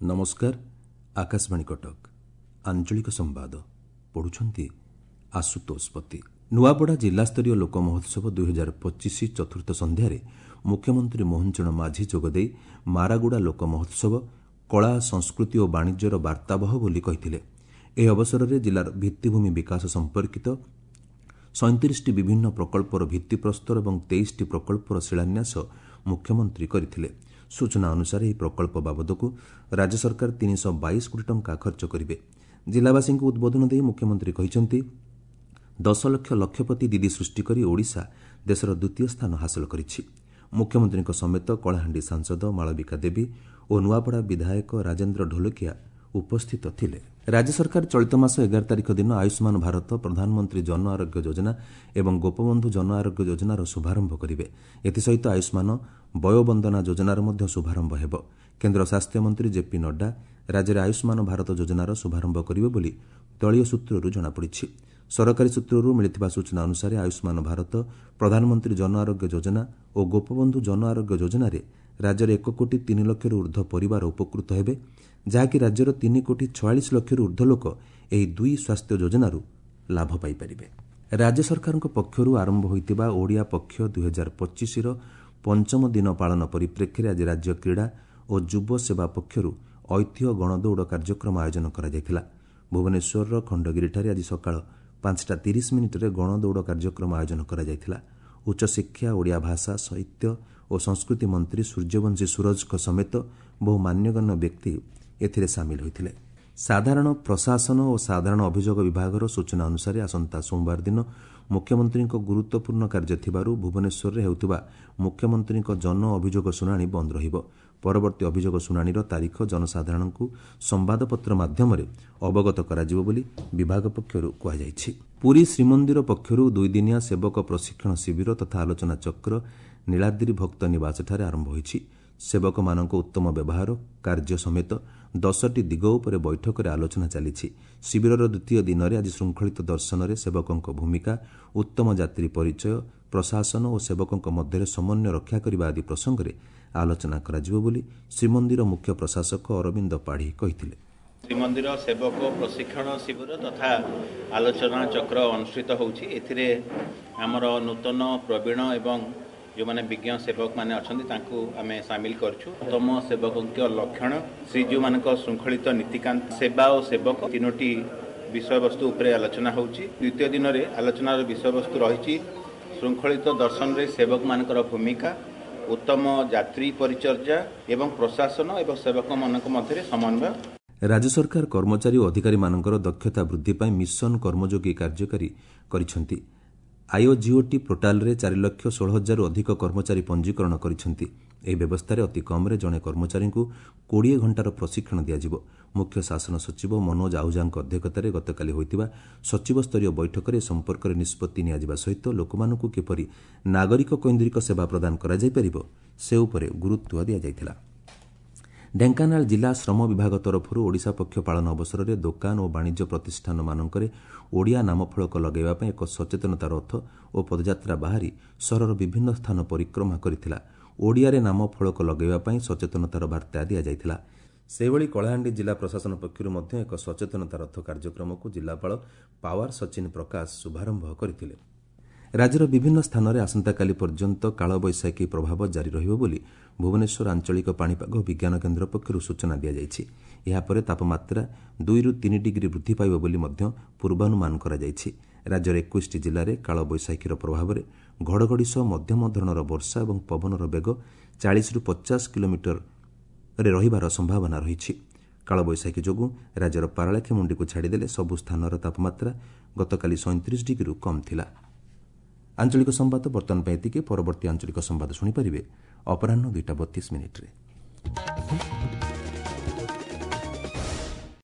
ନମସ୍କାର, ଆକାଶବାଣୀ କଟକ। ଆଞ୍ଚଳିକ ସମ୍ବାଦ ପଢୁଛନ୍ତି ଆଶୁତୋଷ ପତି। ନୂଆପଡ଼ା ଜିଲ୍ଲାସ୍ତରୀୟ ଲୋକ ମହୋତ୍ସବ 2025 ଚତୁର୍ଥ ସନ୍ଧ୍ୟାରେ ମୁଖ୍ୟମନ୍ତ୍ରୀ ମୋହନ ଚରଣ ମାଝୀ ଯୋଗଦେଇ ମାରାଗୁଡ଼ା ଲୋକ ମହୋତ୍ସବ କଳା, ସଂସ୍କୃତି ଓ ବାଣିଜ୍ୟର ବାର୍ତ୍ତାବହ ବୋଲି କହିଥିଲେ। ଏହି ଅବସରରେ ଜିଲ୍ଲାର ଭିତ୍ତିଭୂମି ବିକାଶ ସମ୍ପର୍କିତ 37ଟି ବିଭିନ୍ନ ପ୍ରକଳ୍ପର ଭିତ୍ତିପ୍ରସ୍ତର ଏବଂ 23ଟି ପ୍ରକଳ୍ପର ଶିଳାନ୍ୟାସ ମୁଖ୍ୟମନ୍ତ୍ରୀ କରିଥିଲେ। ସୂଚନା ଅନୁସାରେ ଏହି ପ୍ରକଳ୍ପ ବାବଦକୁ ରାଜ୍ୟ ସରକାର 322 କୋଟି ଟଙ୍କା ଖର୍ଚ୍ଚ କରିବେ। ଜିଲ୍ଲାବାସୀଙ୍କୁ ଉଦ୍ବୋଧନ ଦେଇ ମୁଖ୍ୟମନ୍ତ୍ରୀ କହିଛନ୍ତି, 10 ଲକ୍ଷ ଲକ୍ଷପତି ଦିଦି ସୃଷ୍ଟି କରି ଓଡ଼ିଶା ଦେଶର ଦ୍ୱିତୀୟ ସ୍ଥାନ ହାସଲ କରିଛି। ମୁଖ୍ୟମନ୍ତ୍ରୀଙ୍କ ସମେତ କଳାହାଣ୍ଡି ସାଂସଦ ମାଳବିକା ଦେବୀ ଓ ନୂଆପଡ଼ା ବିଧାୟକ ରାଜେନ୍ଦ୍ର ଢୋଲକିଆ ଉପସ୍ଥିତ ଥିଲେ। ରାଜ୍ୟ ସରକାର ଚଳିତ ମାସ 11 ତାରିଖ ଦିନ ଆୟୁଷ୍ମାନ ଭାରତ, ପ୍ରଧାନମନ୍ତ୍ରୀ ଜନ ଆରୋଗ୍ୟ ଯୋଜନା ଏବଂ ଗୋପବନ୍ଧୁ ଜନ ଆରୋଗ୍ୟ ଯୋଜନାର ଶୁଭାରମ୍ଭ କରିବେ। ଏଥିସହିତ ଆୟୁଷ୍ମାନ ବୟୋବନ୍ଦନା ଯୋଜନାର ମଧ୍ୟ ଶୁଭାରମ୍ଭ ହେବ। କେନ୍ଦ୍ର ସ୍ୱାସ୍ଥ୍ୟମନ୍ତ୍ରୀ ଜେପି ନଡ୍ଡା ରାଜ୍ୟରେ ଆୟୁଷ୍ମାନ ଭାରତ ଯୋଜନାର ଶୁଭାରମ୍ଭ କରିବେ ବୋଲି ଦଳୀୟ ସୂତ୍ରରୁ ଜଣାପଡ଼ିଛି। ସରକାରୀ ସୂତ୍ରରୁ ମିଳିଥିବା ସୂଚନା ଅନୁସାରେ ଆୟୁଷ୍ମାନ ଭାରତ, ପ୍ରଧାନମନ୍ତ୍ରୀ ଜନ ଆରୋଗ୍ୟ ଯୋଜନା ଓ ଗୋପବନ୍ଧୁ ଜନ ଆରୋଗ୍ୟ ଯୋଜନାରେ ରାଜ୍ୟରେ 1 କୋଟି 3 ଲକ୍ଷରୁ ଉର୍ଦ୍ଧ୍ୱ ପରିବାର ଉପକୃତ ହେବେ, ଯାହାକି ରାଜ୍ୟର 3 କୋଟି 46 ଲକ୍ଷରୁ ଉର୍ଦ୍ଧ୍ୱ ଲୋକ ଏହି ଦୁଇ ସ୍ୱାସ୍ଥ୍ୟ ଯୋଜନାରୁ ଲାଭ ପାଇପାରିବେ। ରାଜ୍ୟ ସରକାରଙ୍କ ପକ୍ଷରୁ ଆରମ୍ଭ ହୋଇଥିବା ଓଡ଼ିଆ ପକ୍ଷ 2025ର ପଞ୍ଚମ ଦିନ ପାଳନ ପରିପ୍ରେକ୍ଷୀରେ ଆଜି ରାଜ୍ୟ କ୍ରୀଡ଼ା ଓ ଯୁବ ସେବା ପକ୍ଷରୁ ଐତିହ୍ୟ ଗଣଦୌଡ଼ କାର୍ଯ୍ୟକ୍ରମ ଆୟୋଜନ କରାଯାଇଥିଲା। ଭୁବନେଶ୍ୱରର ଖଣ୍ଡଗିରିଠାରେ ଆଜି ସକାଳ 5ଟା 30 ମିନିଟ୍ରେ ଗଣଦୌଡ଼ କାର୍ଯ୍ୟକ୍ରମ ଆୟୋଜନ କରାଯାଇଥିଲା। ଉଚ୍ଚଶିକ୍ଷା, ଓଡ଼ିଆ ଭାଷା, ସାହିତ୍ୟ ଓ ସଂସ୍କୃତି ମନ୍ତ୍ରୀ ସୂର୍ଯ୍ୟବଂଶୀ ସୂରଜଙ୍କ ସମେତ ବହୁ ମାନ୍ୟଗଣ୍ୟ ବ୍ୟକ୍ତି ଏଥିରେ ସାମିଲ ହୋଇଥିଲେ। ସାଧାରଣ ପ୍ରଶାସନ ଓ ସାଧାରଣ ଅଭିଯୋଗ ବିଭାଗର ସୂଚନା ଅନୁସାରେ ଆସନ୍ତା ସୋମବାର ଦିନ ମୁଖ୍ୟମନ୍ତ୍ରୀଙ୍କ ଗୁରୁତ୍ୱପୂର୍ଣ୍ଣ କାର୍ଯ୍ୟ ଥିବାରୁ ଭୁବନେଶ୍ୱରରେ ହେଉଥିବା ମୁଖ୍ୟମନ୍ତ୍ରୀଙ୍କ ଜନ ଅଭିଯୋଗ ଶୁଣାଣି ବନ୍ଦ ରହିବ। ପରବର୍ତ୍ତୀ ଅଭିଯୋଗ ଶୁଣାଣିର ତାରିଖ ଜନସାଧାରଣଙ୍କୁ ସମ୍ବାଦପତ୍ର ମାଧ୍ୟମରେ ଅବଗତ କରାଯିବ ବୋଲି ବିଭାଗ ପକ୍ଷରୁ କୁହାଯାଇଛି। ପୁରୀ ଶ୍ରୀମନ୍ଦିର ପକ୍ଷରୁ ଦୁଇଦିନିଆ ସେବକ ପ୍ରଶିକ୍ଷଣ ଶିବିର ତଥା ଆଲୋଚନା ଚକ୍ର ନୀଳାଦ୍ରି ଭକ୍ତ ନିବାସଠାରେ ଆରମ୍ଭ ହୋଇଛି। ସେବକମାନଙ୍କ ଉତ୍ତମ ବ୍ୟବହାର, କାର୍ଯ୍ୟ ସମେତ 10ଟି ଦିଗ ଉପରେ ବୈଠକରେ ଆଲୋଚନା ଚାଲିଛି। ଶିବିରର ଦ୍ୱିତୀୟ ଦିନରେ ଆଜି ଶୃଙ୍ଖଳିତ ଦର୍ଶନରେ ସେବକଙ୍କ ଭୂମିକା, ଉତ୍ତମ ଯାତ୍ରୀ ପରିଚୟ, ପ୍ରଶାସନ ଓ ସେବକଙ୍କ ମଧ୍ୟରେ ସମନ୍ୱୟ ରକ୍ଷା କରିବା ଆଦି ପ୍ରସଙ୍ଗରେ ଆଲୋଚନା କରାଯିବ ବୋଲି ଶ୍ରୀମନ୍ଦିର ମୁଖ୍ୟ ପ୍ରଶାସକ ଅରବିନ୍ଦ ପାଢ଼ୀ କହିଥିଲେ। ଶ୍ରୀମନ୍ଦିର ସେବକ ପ୍ରଶିକ୍ଷଣ ଶିବିର ତଥା ଆଲୋଚନା ଚକ୍ର ଅନୁଷ୍ଠିତ ହେଉଛି। ଏଥିରେ ଆମର ନୂତନ, ପ୍ରବୀଣ ଏବଂ ଯେଉଁମାନେ ବିଜ୍ଞ ସେବକମାନେ ଅଛନ୍ତି, ତାଙ୍କୁ ଆମେ ସାମିଲ କରିଛୁ। ଉତ୍ତମ ସେବକଙ୍କ ଲକ୍ଷଣ, ଶ୍ରୀଜୀଉମାନଙ୍କ ଶୃଙ୍ଖଳିତ ନୀତିକାନ୍ତ, ସେବା ଓ ସେବକ, ତିନୋଟି ବିଷୟବସ୍ତୁ ଉପରେ ଆଲୋଚନା ହେଉଛି। ଦ୍ୱିତୀୟ ଦିନରେ ଆଲୋଚନାର ବିଷୟବସ୍ତୁ ରହିଛି ଶୃଙ୍ଖଳିତ ଦର୍ଶନରେ ସେବକମାନଙ୍କର ଭୂମିକା, ଉତ୍ତମ ଯାତ୍ରୀ ପରିଚର୍ଯା ଏବଂ ପ୍ରଶାସନ ଏବଂ ସେବକମାନଙ୍କ ମଧ୍ୟରେ ସମନ୍ୱୟ। ରାଜ୍ୟ ସରକାର କର୍ମଚାରୀ ଓ ଅଧିକାରୀମାନଙ୍କର ଦକ୍ଷତା ବୃଦ୍ଧି ପାଇଁ ମିଶନ କର୍ମଯୋଗୀ କାର୍ଯ୍ୟକାରୀ କରିଛନ୍ତି। ଆଇଓଜିଓଟି ପୋର୍ଟାଲରେ 4 ଲକ୍ଷ 16 ହଜାରରୁ ଅଧିକ କର୍ମଚାରୀ ପଞ୍ଜୀକରଣ କରିଛନ୍ତି। ଏହି ବ୍ୟବସ୍ଥାରେ ଅତି କମ୍ରେ ଜଣେ କର୍ମଚାରୀଙ୍କୁ 20 ଘଣ୍ଟାର ପ୍ରଶିକ୍ଷଣ ଦିଆଯିବ। ମୁଖ୍ୟ ଶାସନ ସଚିବ ମନୋଜ ଆହୁଜାଙ୍କ ଅଧ୍ୟକ୍ଷତାରେ ଗତକାଲି ହୋଇଥିବା ସଚିବସ୍ତରୀୟ ବୈଠକରେ ଏ ସମ୍ପର୍କରେ ନିଷ୍ପତ୍ତି ନିଆଯିବା ସହିତ ଲୋକମାନଙ୍କୁ କିପରି ନାଗରିକ କୈନ୍ଦ୍ରିକ ସେବା ପ୍ରଦାନ କରାଯାଇପାରିବ, ସେ ଉପରେ ଗୁରୁତ୍ୱ ଦିଆଯାଇଥିଲା। ଢେଙ୍କାନାଳ ଜିଲ୍ଲା ଶ୍ରମ ବିଭାଗ ତରଫରୁ ଓଡ଼ିଶା ପକ୍ଷ ପାଳନ ଅବସରରେ ଦୋକାନ ଓ ବାଣିଜ୍ୟ ପ୍ରତିଷ୍ଠାନମାନଙ୍କରେ ଓଡ଼ିଆ ନାମଫଳକ ଲଗାଇବା ପାଇଁ ଏକ ସଚେତନତା ରଥ ଓ ପଦଯାତ୍ରା ବାହାରି ସହରର ବିଭିନ୍ନ ସ୍ଥାନ ପରିକ୍ରମା କରିଥିଲା। ଓଡ଼ିଆରେ ନାମ ଫଳକ ଲଗାଇବା ପାଇଁ ସଚେତନତାର ବାର୍ତ୍ତା ଦିଆଯାଇଥିଲା। ସେହିଭଳି କଳାହାଣ୍ଡି ଜିଲ୍ଲା ପ୍ରଶାସନ ପକ୍ଷରୁ ମଧ୍ୟ ଏକ ସଚେତନତା ରଥ କାର୍ଯ୍ୟକ୍ରମକୁ ଜିଲ୍ଲାପାଳ ପାୱାର ସଚିନ ପ୍ରକାଶ ଶୁଭାରମ୍ଭ କରିଥିଲେ। ରାଜ୍ୟର ବିଭିନ୍ନ ସ୍ଥାନରେ ଆସନ୍ତାକାଲି ପର୍ଯ୍ୟନ୍ତ କାଳବୈଶାଖୀ ପ୍ରଭାବ ଜାରି ରହିବ ବୋଲି ଭୁବନେଶ୍ୱର ଆଞ୍ଚଳିକ ପାଣିପାଗ ବିଜ୍ଞାନ କେନ୍ଦ୍ର ପକ୍ଷରୁ ସୂଚନା ଦିଆଯାଇଛି। ଏହାପରେ ତାପମାତ୍ରା 2ରୁ 3 ଡିଗ୍ରୀ ବୃଦ୍ଧି ପାଇବ ବୋଲି ମଧ୍ୟ ପୂର୍ବାନୁମାନ କରାଯାଇଛି। ରାଜ୍ୟର 21ଟି ଜିଲ୍ଲାରେ କାଳବୈଶାଖୀର ପ୍ରଭାବରେ ଘଡ଼ଘଡ଼ି ସହ ମଧ୍ୟମ ଧରଣର ବର୍ଷା ଏବଂ ପବନର ବେଗ 40ରୁ 50 କିଲୋମିଟରରେ ରହିବାର ସମ୍ଭାବନା ରହିଛି। କାଳବୈଶାଖୀ ଯୋଗୁଁ ରାଜ୍ୟର ପାରଳାଖେମୁଣ୍ଡିକୁ ଛାଡ଼ିଦେଲେ ସବୁ ସ୍ଥାନର ତାପମାତ୍ରା ଗତକାଲି 37 ଡିଗ୍ରୀରୁ କମ୍ ଥିଲା। ଆଞ୍ଚଳିକ ସମ୍ବାଦ ବର୍ତ୍ତମାନ ପାଇଁ ଏତିକି। ପରବର୍ତ୍ତୀ ଆଞ୍ଚଳିକ ସମ୍ବାଦ ଶୁଣିପାରିବେ ଅପରାହ୍ନ 2ଟା 32 ମିନିଟ୍ରେ।